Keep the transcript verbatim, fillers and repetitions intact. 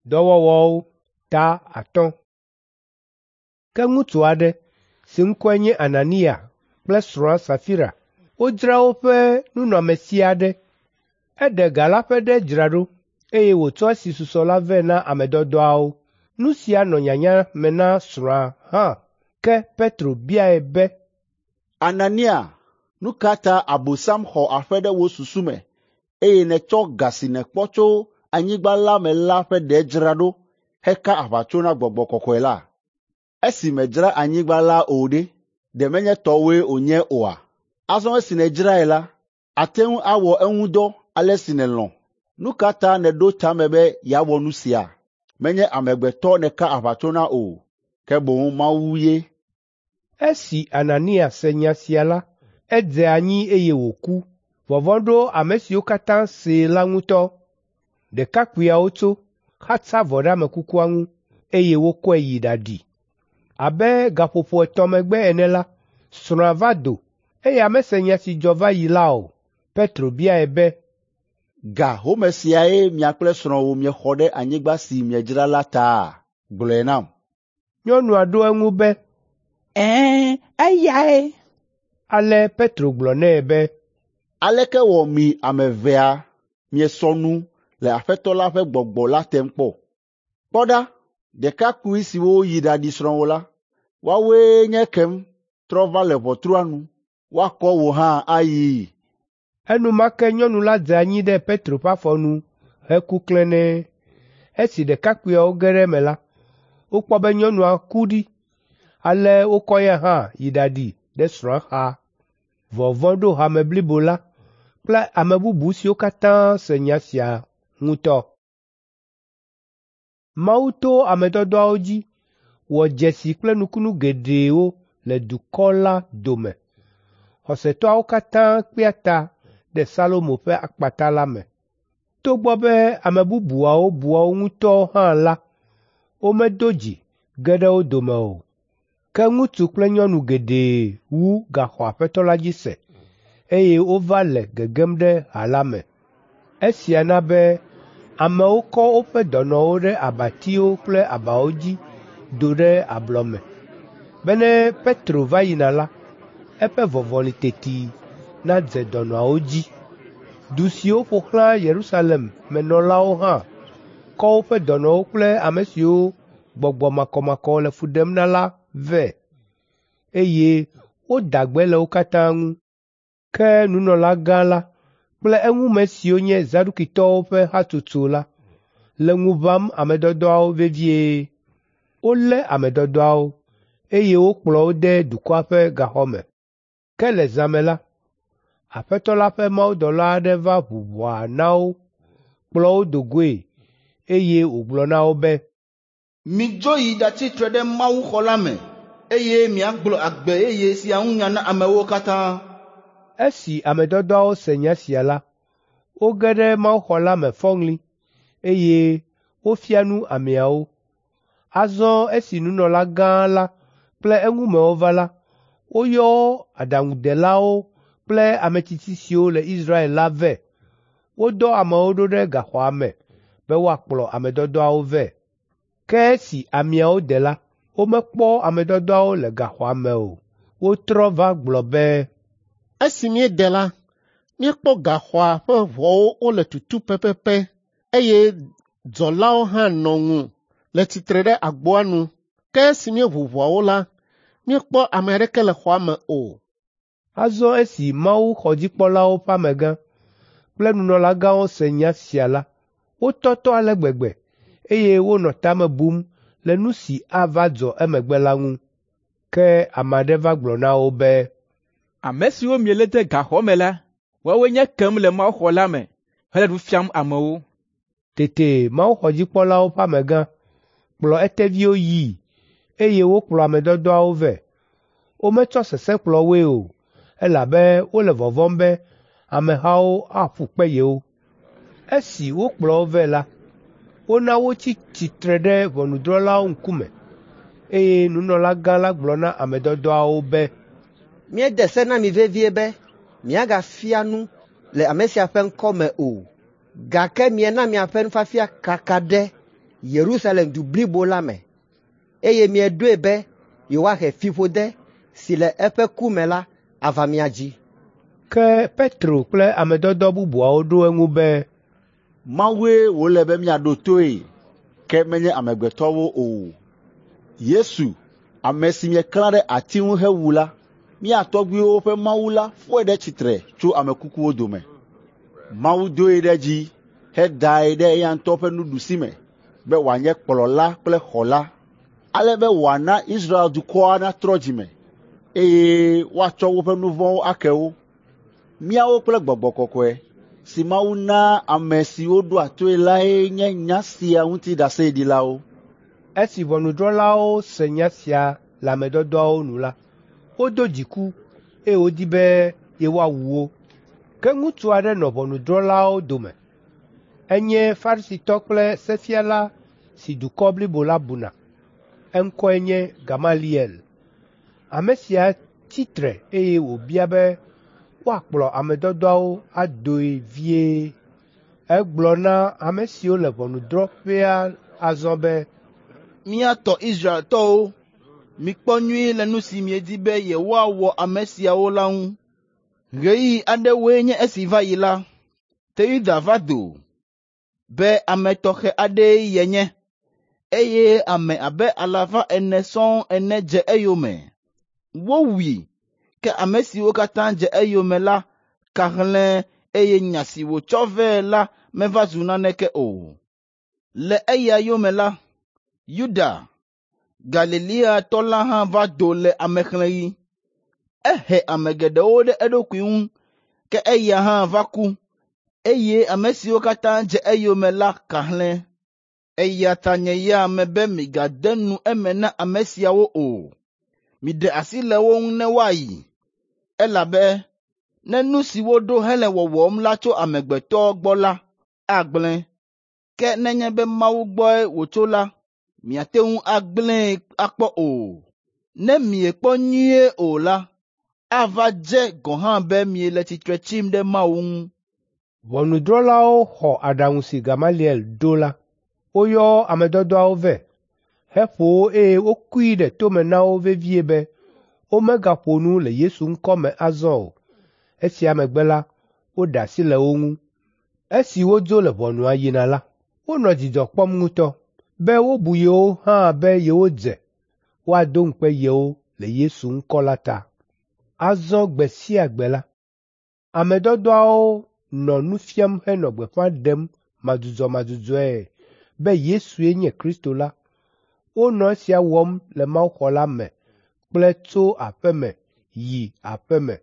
Dɔwɔwɔwo ta atɔ̃. Ke ŋutsu aɖe si ŋkɔe nye Anania kple srɔ̃a Safira wodzra woƒe nunɔamesi aɖe. Eɖe ga la ƒe ɖe dzra ɖo, eye wòtsɔ esi susɔ la vɛ na ame dɔdɔawo. Nu sia nɔ nyanya me na srɔ̃a hã. Ke Petro biae be, Anania, nu ka ta Abosam xɔ aƒe ɖe wò susu me, eye nètsɔ ga si nèkpɔ tso anyigba la me la ƒe ɖe dzra ɖo heka aʋatso na Gbɔgbɔ Kɔkɔe la? Esi mèdzra anyigba la o ɖe, ɖe menye tɔwòe wònye oa? Azɔ esi nèdzrae la, àte ŋu awɔ eŋu dɔ ale si nèlɔ̃. Nu ka ta nèɖo ta me be yeawɔ nu sia? Menye amegbetɔ nèka aʋatso na o, ke boŋ Mawu ye. Esi Anania se nya sia la, edze anyi eye wòku. Vɔvɔ̃ ɖo ame siwo katã see la ŋutɔ. Ɖekakpuiawo tso, xatsa avɔ ɖe ame kukua ŋu, eye wokɔe yi ɖaɖi. Abe gaƒoƒo etɔ̃ megbe ene la, srɔ̃a va do, eya mese nya si dzɔ va yi la o. Petro biae be, Ga home siae mia kple srɔ̃wò miexɔ ɖe anyigba si miedzra la taa? Gblɔe nam. Nyɔnua ɖo eŋu be, Ɛ̃, eyae. Ale Petro gblɔ nɛ be, Aleke wɔ mi ame evea miesɔ nu le Aƒetɔ la ƒe Gbɔgbɔ la tem kpɔ? Kpɔ ɖa, ɖekakpui siwo yi ɖaɖi srɔ̃wò la, woawoe nye ekem trɔ va le ʋɔtrua nu. Woakɔ wò hã ayii. Enumake nyɔnu la dze anyi ɖe Petro ƒe afɔ nu heku klẽnee. Esi ɖekakpuiawo ge ɖe eme la, wokpɔ be nyɔnua ku ɖi. Ale wokɔ eya hã yi ɖaɖi ɖe srɔ̃a xa. Vɔvɔ̃ ɖo hame blibo la kple ame bubu siwo katã se nya sia ŋutɔ. Mawu to ame dɔdɔawo dzi wɔ dzesi kple nukunu geɖewo le dukɔ la dome. Xɔsetɔawo katã kpea ta ɖe Salomo ƒe akpata la me. Togbɔ be ame bubuawo bua wo ŋutɔ hã la, womedo dzi ge ɖe wo dome o. Ke ŋutsu kple nyɔnu geɖe wu gaxɔ Aƒetɔ la dzi se, eye wova le gegem ɖe ha la me. Esia na be amewo kɔ woƒe dɔnɔwo ɖe abatiwo kple abawo dzi do ɖe ablɔ me, be ne Petro va yina la, eƒe vɔvɔli teti nadze dɔnɔawo dzi. Du siwo ƒo xlã Yerusalem me nɔlawo hã kɔ woƒe dɔnɔwo kple ame siwo gbɔgbɔ makɔmakɔ le fu ɖem na la vɛ, eye woda gbe le wo katã ŋu. Ke nunɔlagã la kple eŋume siwo nye Zadukitɔwo ƒe hatsotso la le ŋu ʋãm ame dɔdɔawo vevie. Wolé ame dɔdɔawo, eye wokplɔ wo de dukɔa ƒe gaxɔ me. Ke le zã me la, Aƒetɔ la ƒe mawudɔla aɖe va ʋu ʋɔa na wo, kplɔ wo do goe, eye wògblɔ na wo be, Midzo yi ɖatsi tre ɖe mawuxɔ la me, eye miagblɔ agbe yeye sia ŋu nya na amewo katã. Esi ame dɔdɔawo se nya sia la, woge ɖe mawuxɔ la me fɔŋli, eye wofia nu ameawo. Azɔ esi nunɔlagã la kple eŋumewo va la, woyɔ aɖaŋudelawo kple ame tsitsi siwo le Israel la vɛ. Wodɔ amewo ɖo ɖe gaxɔa me be woakplɔ ame dɔdɔawo vɛ. Ke esi ameawo de la, womekpɔ ame dɔdɔawo le gaxɔa me o. Wotrɔ va gblɔ be, Esi míede la, míekpɔ gaxɔa ƒe ʋɔwo wole tutu pɛpɛpɛ, eye dzɔlawo hã nɔ ŋu le tsitre ɖe agboa nu. Ke esi míeʋu ʋɔawo la, míekpɔ ame aɖeke le xɔa me o. Azɔ esi mawuxɔdzikpɔlawo ƒe amegã kple nunɔlagãwo se nya sia la, wotɔtɔ ale gbegbe, eye wonɔ ta me bum le nu si ava dzɔ emegbe la ŋu. Ke ame aɖe va gblɔ na wo be, Ame siwo mielé de gaxɔ me la, woawoe nye ekem le mawuxɔ la me hele nu fiam amewo. Tete mawuxɔdzikpɔlawo ƒe amegã kplɔ eteviwo yii, eye wokplɔ ame dɔdɔawo vɛ. Wometsɔ sesẽ kplɔ woe o, elabe wole vɔvɔ̃m be amehawo aƒu kpe yewo. Esi wokplɔ wo vɛ la, wona wotsi tsitre ɖe ʋɔnudrɔ̃lawo ŋkume, eye nunɔlagã la gblɔ na ame dɔdɔawo be, Míede se na mi vevie be miagafia nu le ame sia ƒe ŋkɔ me o, gake miena miaƒe nufiafia kaka ɖe Yerusalem du blibo la me, eye mieɖoe be yewoahe fiƒode si le eƒe ku me la ava mía dzi. Ke Petro kple ame dɔdɔ bubuawo ɖo eŋu be, Mawue wòle be míaɖo toe, ke menye amegbetɔwo o. Yesu, ame si mieklã ɖe ati ŋu hewu la, mía tɔgbuiwo ƒe Mawu la fɔe ɖe tsitre tso ame kukuwo dome. Mawu doe ɖe dzi hedae ɖe eya ŋutɔ ƒe nuɖusime be wòanye kplɔla kple xɔla, ale be wòana Israel dukɔa natrɔ dzime, eye woatsɔ woƒe nu vɔ̃wo ake wo. Míawo kple Gbɔgbɔ Kɔkɔe si Mawu naa ame siwo ɖoa toe lae nye nya sia ŋuti ɖaseɖilawo. Esi ʋɔnudrɔ̃lawo se nya sia le ame dɔdɔawo nu la, wodo dziku eye wodi be yewoawu wo. Ke ŋutsu aɖe nɔ ʋɔnudrɔ̃lawo dome. Enye Farisitɔ kple sefiala si dukɔ blibo la buna. Eŋkɔe nye Gamaliel. Ame sia tsi tre eye wòbia be woakplɔ ame dɔdɔawo adoe vie. Egblɔ na ame siwo le ʋɔnudrɔ̃ƒea azɔ be, Mía tɔ Israeltɔwo, mikpɔ nyuie le nu si miedi be yewoawɔ ame siawo la ŋu. Ɣeyiɣi aɖewoe nye esi va yi la, Teuda va do be ame tɔxɛ aɖee yenye, eye ame abe alafa ene sɔŋ ene dze eyome. Wowui, ke ame siwo katã dze eyome la ka hlẽ eye nya si wòtsɔ vɛ la meva zu naneke o. Le eya yome la, Yuda, Galileatɔ la hã va do le amexlẽɣi. Ehe ame geɖewo ɖe eɖokui ŋu, ke eya hã va ku, eye ame siwo katã dze eyome la ka hlẽ. Eya ta nye ya mebe migade nu eme na ame siawo o. Miɖe asi le wo ŋu ne woayi, elabe ne nu si woɖo hele wɔwɔm la tso amegbetɔ gbɔ la, agblẽ. Ke nenye be Mawu gbɔe wòtso la, miate ŋu agblẽe akpɔ o. Ne miekpɔ nyuie o la, ava dze gɔ̃ hã be miele tsitre tsim ɖe Mawu ŋu. Ʋɔnudrɔ̃lawo xɔ aɖaŋu si Gamaliel ɖo la. Woyɔ ame dɔdɔawo vɛ, heƒo wo eye wokui ɖe tome na wo vevie be womegaƒo nu le Yesu ŋkɔ me azɔ o. Esia megbe la, woɖe asi le wo ŋu. Esi wodzo le ʋɔnua yina la, wonɔ dzidzɔ kpɔm ŋutɔ be wobu yewo hã be yewodze woado ŋukpe yewo le Yesu ŋkɔ la ta. Azɔ gbe sia gbe la, ame dɔdɔawo nɔ nu fiam henɔ gbeƒã ɖem madzudzɔmadzudzɔe be Yesue nye Kristo la. Wonɔ esia wɔm le mawuxɔ la me kple tso aƒe me yi aƒe me.